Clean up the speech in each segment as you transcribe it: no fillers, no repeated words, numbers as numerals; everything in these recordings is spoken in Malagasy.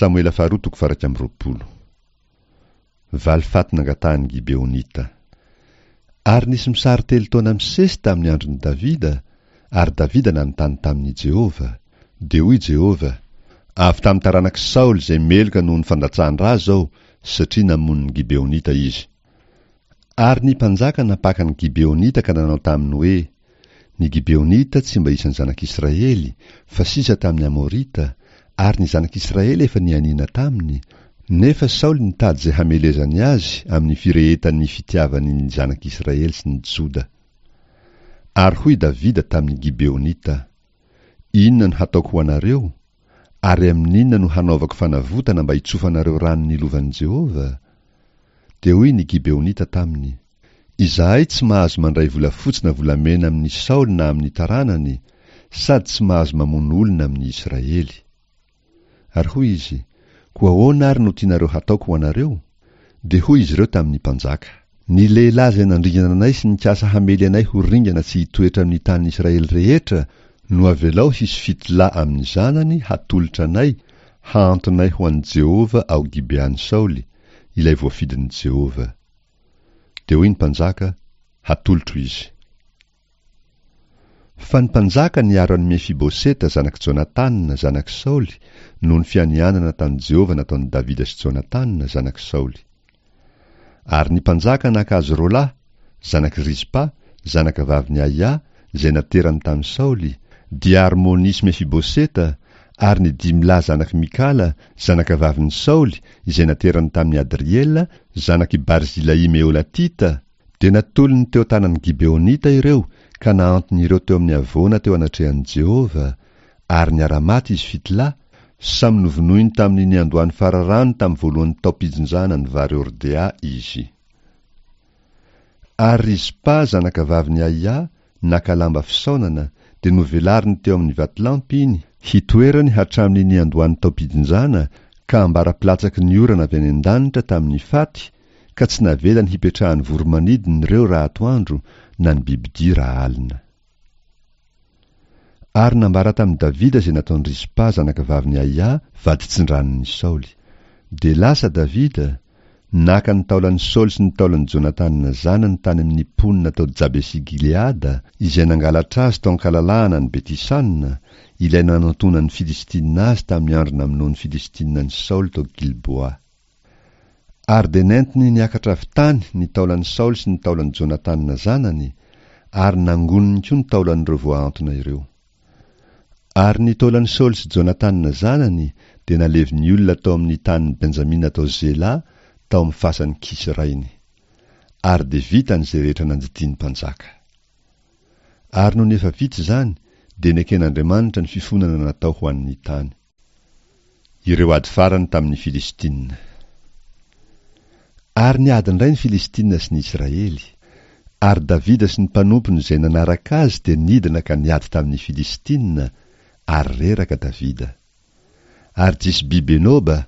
Samoela faharoa toko faha 21. Valifaty nangatahan'ny Gibeonita. Ary nisy mosary telo taona misesy tamin'ny andron'i Davida, ary Davida nanontany tamin'i Jehovah. Dia hoy Jehovah, Avy tamin'ny taranak'i Saoly izay meloka noho ny fandatsahan-dra izao, satria namono ny Gibeonita izy. Ary ny mpanjaka nampaka ny Gibeonita ka nanao taminy hoe, Ny Gibeonita tsy mba isan'ny zanak'Israely, fa sisa tamin'ny Amorita, ary ny zanak'Israely efa nianiana taminy, nefa Saoly nitady izay hamelezany azy amin'ny firehetan'ny fitiavany ny zanak'Israely sy ny Joda. Ary hoy Davida tamin'ny Gibeonita, Inona no hataoko ho anareo? Ary amin'inona no hanaovako fanavotana mba hitsofanareo rano ny lovan'i Jehovah? Dia hoy ny Gibeonita taminy, Izahay tsy mahazo mandray volafotsy na volamena amin'i Saoly na amin'ny taranany, sady tsy mahazo mamono olona amin'ny Israely. Ary hoy izy, Koa ahoana àry no tianareo hataoko ho anareo? Dia hoy izy ireo tamin'ny mpanjaka, Ny lehilahy izay nandringana anay sy nikasa hamely anay ho ringana tsy hitoetra amin'ny tanin'i Israely rehetra no avelao hisy fito lahy amin'ny zanany hatolotra anay hahantonay ho an'i Jehovah ao Gibean'i Saoly, ilay voafidin'i Jehovah. Dia hoy ny mpanjaka, Hatolotro izy. Fa ny mpanjaka niaro an'i Mefiboseta zanak'i Jonatana, zanak'i Saoly, noho ny fianianana tamin'i Jehovah nataon'i Davida sy Jonatana, zanak'i Saoly. Ary ny mpanjaka naka azy roa lahy, zanak'i Rizpa, zanakavavin'i Aia, izay naterany tamin'i Saoly, dia Armoni sy Mefiboseta, ary ny dimy lahy zanak'i Mikala, zanakavavin'i Saoly, izay naterany tamin'i Adriela, zanak'i Barzilai Meholatita, dia natolony teo an-tanan'ny Gibeonita ireo ka nahantony ireo teo amin'ny havoana teo anatrehan'i Jehovah, ary niara-maty izy fito lahy, samy novonoiny tamin'ny niandohan'ny fararano tamin'ny voalohan'ny taom-pijinjana ny vary hordea izy. Ary Rizpa zanakavavin'i Aia naka lamba fisaonana, dia novelariny teo amin'ny vatolampy iny, hitoerany hatramin'ny niandohan'ny taom-pijinjana ka ambara-pilatsaky ny orana avy any an-danitra tamin'ny faty, ka tsy navelany hipetrahan'ny voro-manidina ireo raha atoandro na ny bibidia raha alina. Ary nambara tamin'i Davida izay nataon'i Rizpa zanakavavin'i Aia vaditsindranon'i Saoly. Dia lasa Davida, naka ny taolan'i Saoly sy ny taolan'i Jonatana zanany tany amin'ny mponina tao Jabesi-Gileada, izay nangalatra azy tao an-kalalahana any Beti-Sana, ilay nanantonan'ny Filistinina azy tamin'ny andro namonoan'ny Filistinina an'i Saoly tao Gilboa. Ary dia nentiny niakatra avy tany ny taolan'i Saoly sy ny taolan'i Jonatana zanany, ary nangoniny koa ny taolan'ireo voahantona ireo. Ary ny taolan'i Saoly sy Jonatana zanany dia nalevin'ny olona tao amin'ny tanin'i Benjamina tao Zela, tao amin'ny fasan'i Kisy rainy. Ary dia vitany izay rehetra nandidian'ny mpanjaka. Ary nony efa vita izany, dia neken'Andriamanitra ny fifonana natao ho an'ny tany. Ireo ady farany tamin'ny Filistina. Ary niady indray ny Filistina sy ny Israely. Ary Davida sy ny mpanompony izay nanaraka azy dia nidina ka niady tamin'ny Filistina, ary reraka Davida. Ary Jisbi-Benoba,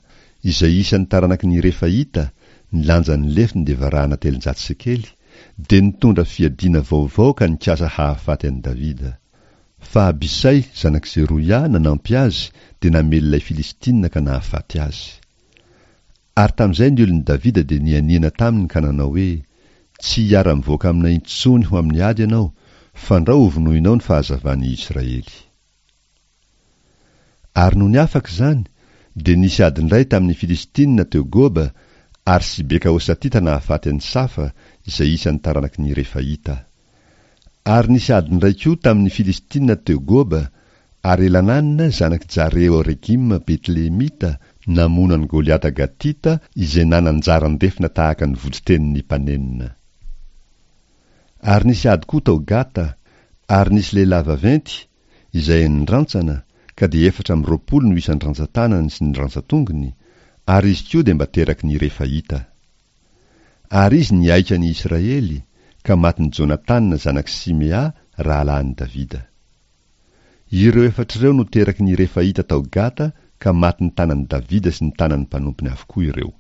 izay isan'ny taranaky ny Refaita, ny lanjan'ny lefiny dia varahana 300 sekely, dia nitondra fiadiana vaovao ka nikasa hahafaty an'i Davida. Fa Abisay, zanak'i Zeroia, nanampy azy, dia namely ilay Filistina ka nahafaty azy. Ary tamin'izay ny olon'i Davida dia nianiana taminy ka nanao hoe, Tsy hiara-mivoaka aminay intsony ho amin'ny ady ianao, fandrao hovonoinao ny fahazavan'i Israely. Ary nony afaka izany, dia nisy ady indray tamin'ny Filistina teo Goba, ary Sibeka Hosatita nahafaty an'i Safa, izay isan'ny taranaky ny Refaita. Ary nisy ady indray koa tamin'ny Filistina teo Goba, ary Elanana, zanak'i Jare-Oregima Betlehemita, namono an'i Goliata Gatita, izay nanan-jaran-defona tahaka ny voditenin'ny mpanenona. Ary nisy ady koa tao Gata, ary nisy lehilahy vaventy, izay enin-drantsana, ka dia 24 no isan'ny rantsan-tanany sy ny rantsan-tongony, ary izy koa dia mba teraky ny Refaita. Ary izy nihaika ny Israely, ka matin'i Jonatana zanak'i Simea rahalahin'i Davida. Ireo efatra ireo no teraky ny Refaita tao Gata ka matin'ny tanan'i Davida sy ny tanan'ny mpanompony avokoa ireo.